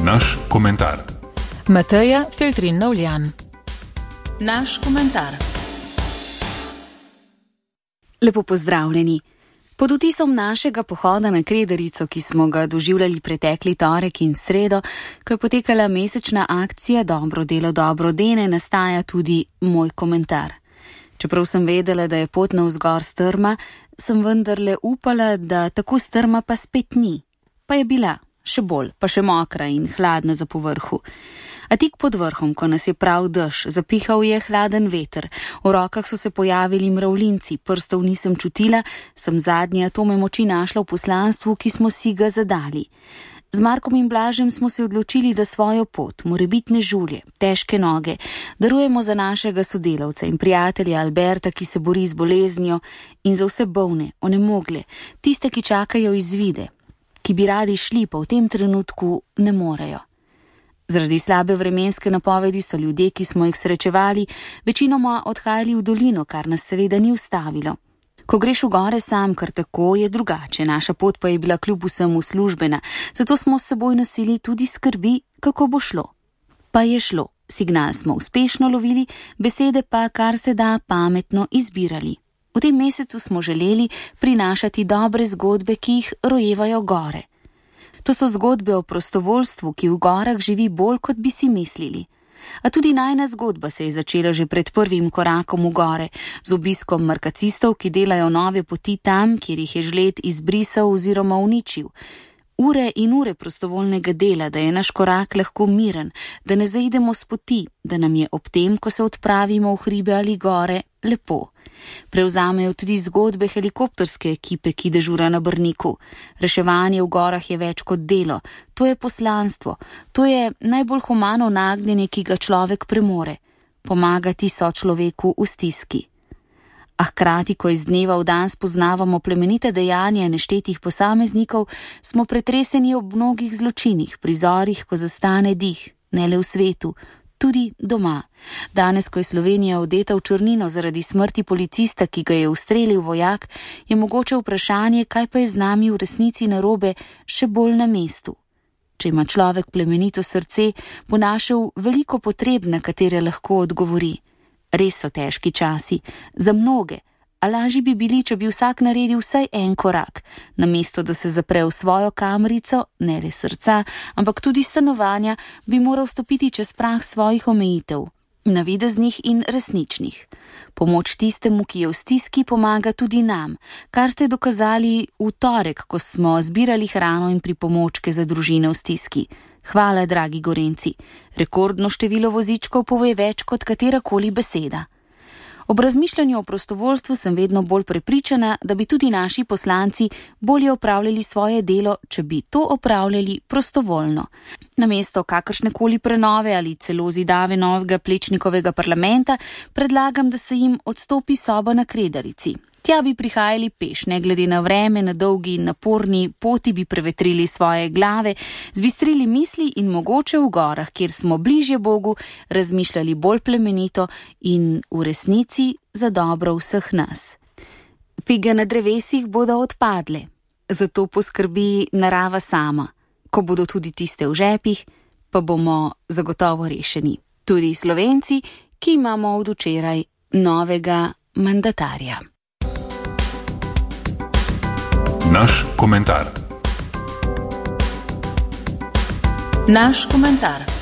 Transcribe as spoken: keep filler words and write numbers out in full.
Naš komentar. Mateja Feltrin Navljan. Naš komentar. Lepo pozdravljeni. Pod vtisom našega pohoda na Kredarico, ki smo ga doživljali pretekli torek in sredo, ko je potekala mesečna akcija Dobro delo dobro dene, nastaja tudi moj komentar. Čeprav sem vedela, da je pot navzgor strma, sem vendarle upala, da tako strma pa spet ni. Pa je bila, še bolj, pa še mokra in hladna za povrhu. A tik pod vrhom, ko nas je prav dež, zapihal je hladen veter, v rokah so se pojavili mravljinci, prstov nisem čutila, sem zadnje atome moči našla v poslanstvu, ki smo si ga zadali. Z Markom in Blažem smo se odločili, da svojo pot, morebitne žulje, težke noge, darujemo za našega sodelavca in prijatelja Alberta, ki se bori z boleznijo, in za vse bolne, onemogle, tiste, ki čakajo izvide, ki bi radi šli, pa v tem trenutku ne morejo. Zaradi slabe vremenske napovedi so ljudje, ki smo jih srečevali, večinoma odhajali v dolino, kar nas seveda ni ustavilo. Ko greš v gore sam, kar tako, je drugače, naša pot pa je bila kljub vsemu službena, zato smo s seboj nosili tudi skrbi, kako bo šlo. Pa je šlo, signal smo uspešno lovili, besede pa kar se da pametno izbirali. V tem mesecu smo želeli prinašati dobre zgodbe, ki jih rojevajo gore. To so zgodbe o prostovoljstvu, ki v gorah živi bolj, kot bi si mislili. A tudi najna zgodba se je začela že pred prvim korakom v gore, z obiskom markacistov, ki delajo nove poti tam, kjer jih je žled izbrisal oziroma uničil. Ure in ure prostovoljnega dela, da je naš korak lahko miren, da ne zaidemo s poti, da nam je ob tem, ko se odpravimo v hribe ali gore, lepo. Prevzamejo tudi zgodbe helikopterske ekipe, ki dežura na Brniku. Reševanje v gorah je več kot delo, to je poslanstvo, to je najbolj humano nagnjenje, ki ga človek premore, pomagati sočloveku v stiski. A hkrati, ko iz dneva v dan spoznavamo plemenite dejanja neštetih posameznikov, smo pretreseni ob mnogih zločinih, prizorih, ko zastane dih, ne le v svetu, tudi doma. Danes, ko je Slovenija odeta v črnino zaradi smrti policista, ki ga je ustrelil vojak, je mogoče vprašanje, kaj pa je z nami v resnici narobe, še bolj na mestu. Če ima človek plemenito srce, bo našel veliko potreb, na katere lahko odgovori. Res so težki časi, za mnoge, a lažji bi bili, če bi vsak naredil vsaj en korak, namesto da se zapre v svojo kamrico, ne le srca, ampak tudi stanovanja, bi moral stopiti čez prah svojih omejitev, navideznih in resničnih. Pomoč tistemu, ki je v stiski, pomaga tudi nam, kar ste dokazali v torek, ko smo zbirali hrano in pripomočke za družine v stiski. Hvala, dragi Gorenci. Rekordno število vozičkov pove več kot katerakoli beseda. Ob razmišljanju o prostovoljstvu sem vedno bolj prepričana, da bi tudi naši poslanci bolje opravljali svoje delo, če bi to opravljali prostovoljno. Namesto kakršnekoli prenove ali celo zidave novega Plečnikovega parlamenta, predlagam, da se jim odstopi soba na Kredarici. Tja bi prihajali peš, ne glede na vreme, na dolgi in naporni poti bi prevetrili svoje glave, zbistrili misli in mogoče v gorah, kjer smo bližje Bogu, razmišljali bolj plemenito in v resnici za dobro vseh nas. Fige na drevesih bodo odpadle, zato poskrbi narava sama. Ko bodo tudi tiste v žepih, pa bomo zagotovo rešeni. Tudi Slovenci, ki imamo od včeraj novega mandatarja. Naš komentar. Naš komentar.